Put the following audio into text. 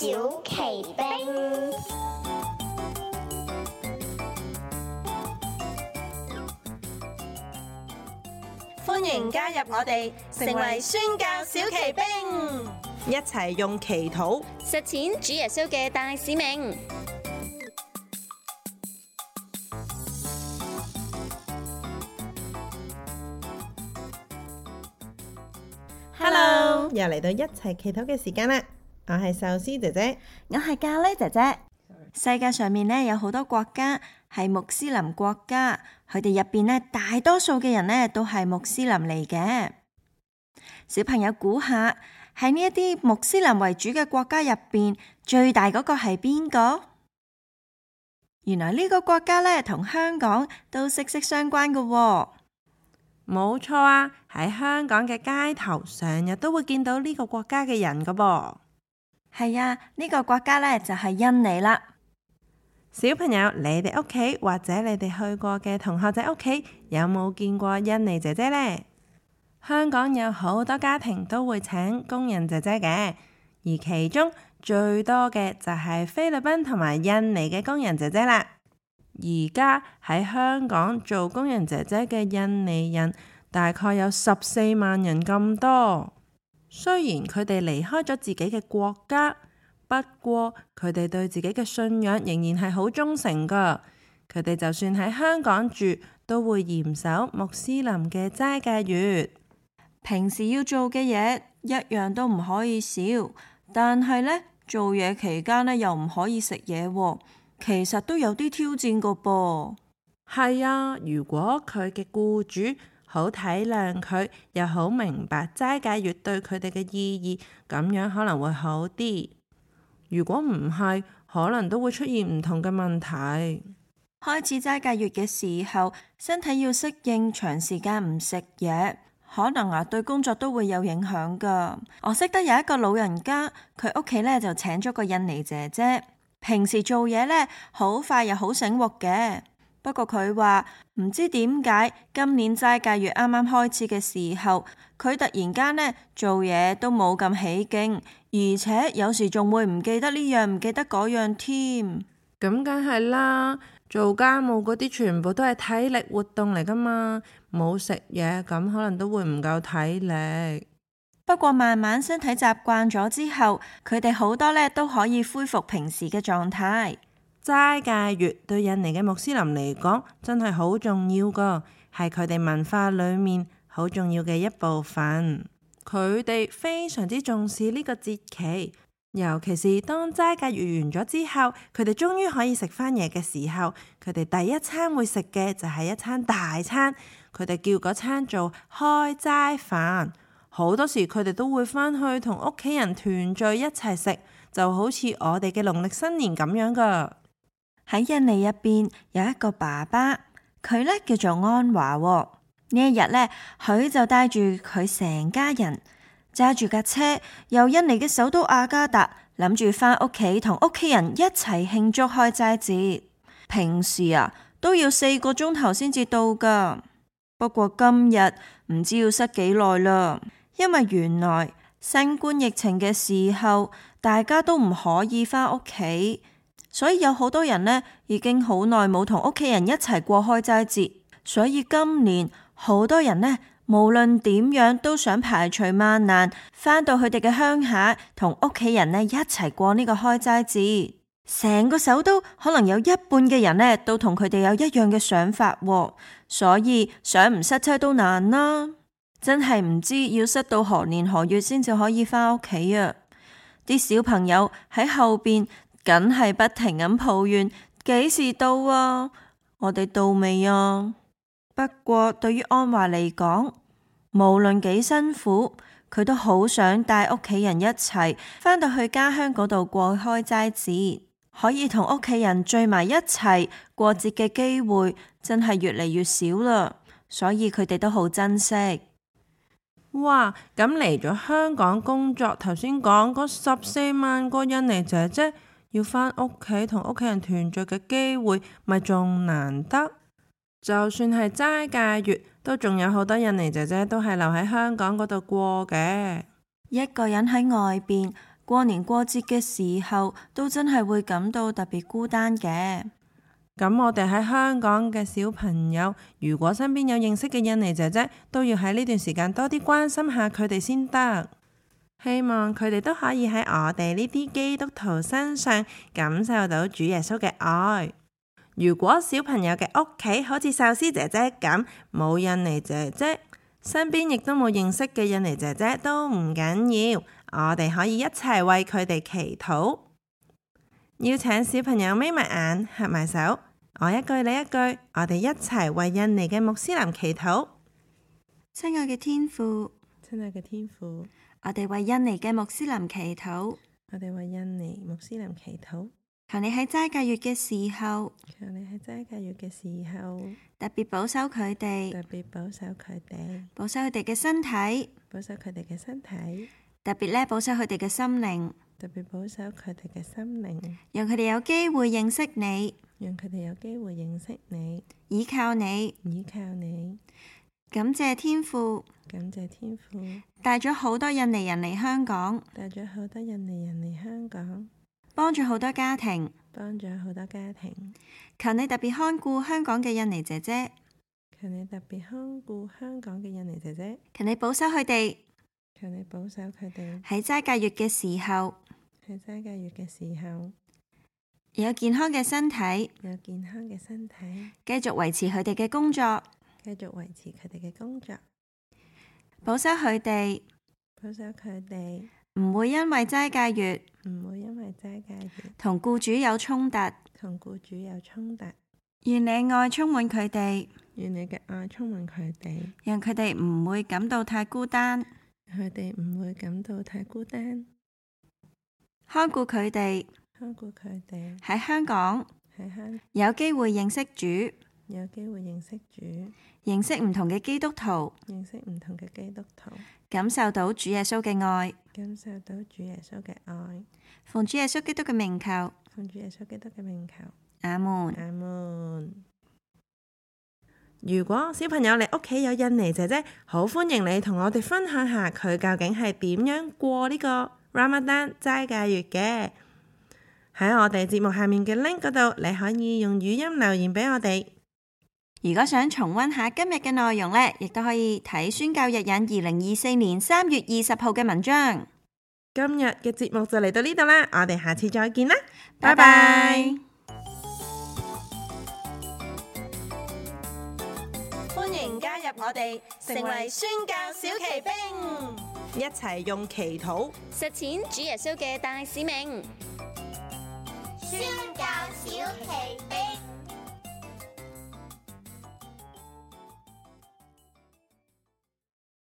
小奇兵，歡迎加入我哋，成為宣教小奇兵，一齊用祈禱實踐主耶穌嘅大使命。Hello，又嚟到一齊祈禱嘅時間啦！我係壽司姐姐，我係咖喱姐姐。世界上面呢有好多國家係穆斯林國家，佢哋入邊呢大多數嘅人呢都係穆斯林嚟嘅。小朋友估下，喺呢一啲穆斯林為主嘅國家入邊，最大嗰個係邊個？原來呢個國家呢同香港都息息相關㗎喎。冇錯啊！喺香港嘅街頭，成日都會見到呢個國家嘅人㗎噃。係啊，呢個國家呢就係印尼啦。小朋友，你哋屋企或者你哋去過嘅同學仔屋企，有冇見過印尼姐姐呢？香港有好多家庭都會請工人姐姐嘅，而其中最多嘅就係菲律賓同埋印尼嘅工人姐姐啦。而家喺香港做工人姐姐嘅印尼人大概有14萬人咁多。雖然佢哋離開咗自己嘅國家，不過佢哋對自己嘅信仰仍然係好忠誠噶。佢哋就算喺香港住，都會嚴守穆斯林嘅齋戒月。平時要做嘅嘢一樣都唔可以少，但係呢，做嘢期間呢又唔可以食嘢喎。其實都有啲挑戰個噃。係啊，如果佢嘅僱主好體諒佢，又好明白齋戒月對佢哋嘅意義，咁樣可能會好啲。如果唔係，可能都會出現唔同嘅問題。開始齋戒月嘅時候，身體要適應長時間唔食嘢，可能對工作都會有影響噶。我識得有一個老人家，佢屋企呢就請咗個印尼姐姐。平時做嘢呢，好快又好醒目嘅。不過佢話唔知點解今年齋戒月啱啱開始嘅時候，佢突然間呢做嘢都冇咁起勁，而且有時仲會唔記得呢樣唔記得嗰樣添。咁梗係啦，做家務嗰啲全部都係體力活動嚟噶嘛，冇食嘢咁可能都會唔夠體力。不過慢慢身體習慣咗之後，佢哋好多呢都可以恢復平時嘅狀態。齋戒月對印尼嘅穆斯林嚟講真係好重要噶，係佢哋文化裏面好重要嘅一部分。佢哋非常之重視呢個節期，尤其是當齋戒月完咗之後，佢哋終於可以食返嘢嘅時候，佢哋第一餐會食嘅就係一餐大餐，佢哋叫嗰餐做開齋飯。好多時佢哋都會返去同屋企人團聚一齊食，就好似我哋嘅農曆新年咁樣噶。喺印尼入邊有一個爸爸，佢呢叫做安華喎。呢一日呢，佢就帶住佢成家人揸住架車，由印尼嘅首都雅加達，諗住返屋企同屋企人一齊慶祝開齋節。平時都要4個鐘頭先至到噶，不過今日唔知要塞幾耐啦。因為原來新冠疫情嘅時候，大家都唔可以返屋企，所以有好多人呢已經好耐冇同屋企人一齊過開齋節，所以今年好多人呢無論點樣都想排除萬難，返到佢哋嘅鄉下同屋企人呢一齊過呢個開齋節。成個首都可能有一半嘅人呢都同佢哋有一樣嘅想法喎，所以想唔塞車都難啦。真係唔知要塞到何年何月先至可以返屋企啊！啲小朋友喺後邊梗係不停咁抱怨，幾時到啊？我哋到未啊？不過對於安華嚟講，無論幾辛苦，佢都好想帶屋企人一齊返到去家鄉嗰度過開齋節，可以同屋企人聚埋一齊過節嘅機會真係越嚟越少啦，所以佢哋都好珍惜。哇！咁嚟咗香港工作，頭先講嗰14萬個印尼姐姐要返屋企同屋企人團聚嘅機會，咪仲難得？就算係齋戒月，都仲有好多印尼姐姐都係留喺香港嗰度過嘅。一個人喺外邊過年過節嘅時候都真係會感到特別孤單嘅。咁我哋喺香港嘅小朋友，如果身邊有認識嘅印尼姐姐，都要喺呢段時間多啲關心下佢哋先得。希望佢哋都可以喺我哋呢啲基督徒身上感受到主耶穌嘅愛。如果小朋友嘅屋企好似壽司姐姐咁，冇印尼姐姐，身邊亦都冇認識嘅印尼姐姐都唔緊要，我哋可以一齊為佢哋祈禱。邀請小朋友眯埋眼，合埋手，我一句你一句，我哋一齊為印尼嘅穆斯林祈禱。親愛嘅天父，親愛嘅天父，我哋為印尼嘅穆斯林祈禱。我哋為印尼穆斯林祈禱。求你喺齋戒月嘅時候，求你喺齋戒月嘅時候，特別保守佢哋，特別保守佢哋，保守佢哋嘅身體，保守佢哋嘅身體，特別咧保守佢哋嘅心靈，特別保守佢哋嘅心靈，讓佢哋有機會認識你，讓佢哋有機會認識你，倚靠你，倚靠你。感謝天父，感謝天父，帶咗好多印尼人嚟香港，帶咗好多印尼人嚟香港，幫助好多家庭，幫咗好多家庭。求你特別看顧香港嘅印尼姐姐，求你特別看顧香港嘅印尼姐姐，求你保守佢哋，求你保守佢哋喺齋戒月嘅時候，喺齋戒月嘅時候有健康嘅身體，有健康嘅身體，繼續維持佢哋嘅工作，繼續維持佢哋嘅工作，保守佢哋，保守佢哋唔會因為齋戒月唔會因為齋戒月同僱主有衝突，同僱主有衝突。願你愛充滿佢哋，願你嘅愛充滿佢哋，讓佢哋唔會感到太孤單，佢哋唔會感到太孤單，看顧佢哋看顧佢哋喺香港喺香有機會認識主，有機會認識主，認識唔同嘅基督徒，認識唔同嘅基督徒，感受到主耶穌嘅愛，感受到主耶穌嘅愛。奉主耶穌基督嘅名求，奉主耶穌基督嘅名求，阿門。阿門。如果小朋友你屋企有印尼姐姐，好歡迎你同我哋分享下佢究竟係點樣過呢個 Ramadan 齋戒月嘅。喺我哋節目下面嘅 link 嗰度，你可以用語音留言俾我哋。如果想重溫下今日嘅內容呢，亦都可以睇宣教日引2024年3月20號嘅文章。今日嘅節目就嚟到呢度啦，我哋下次再見啦，拜拜拜。拜。歡迎加入我哋，成為宣教小騎兵，一齊用祈禱實踐主耶穌嘅大使命。